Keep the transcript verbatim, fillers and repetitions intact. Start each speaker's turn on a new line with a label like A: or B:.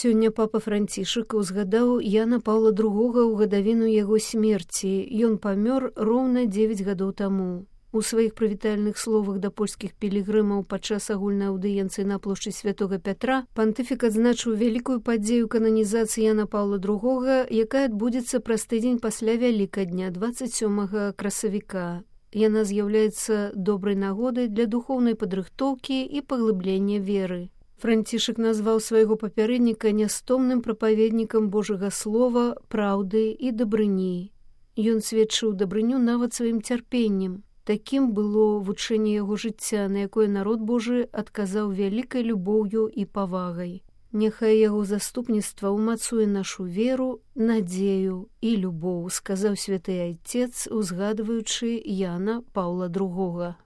A: Сёння папа Францішак узгадаў Яна Паўла другога ў гадавіну яго смерці. Ён памёр роўна дзевяць гадоў таму. У сваіх прывітальных словах да польскіх пілігрымаў падчас агульнай аўдыенцыі на плошчы Святога Пятра пантыфік адзначыў вялікую падзею кананізацыі Яна Паўла другога, якая адбудзецца праз тыдзень пасля Вялікадня, дваццаць сёмага красавіка. Яна з'яўляецца добрай нагодай для духоўнай падрыхтоўкі і паглыблення веры. Францішак назваў свайго папярэдніка нястомным прапаведнікам Божага слова, праўды і дабрыні. Ён сведчыў дабрыню нават сваім цярпеннем. Такім было вучэнне яго жыцця, на якое народ Божы адказаў вялікай любоўю і павагай. Няхай яго заступніцтва ўмацуе нашу веру, надзею і любоў, сказаў святы айцец, узгадваючы Яна Паўла другога.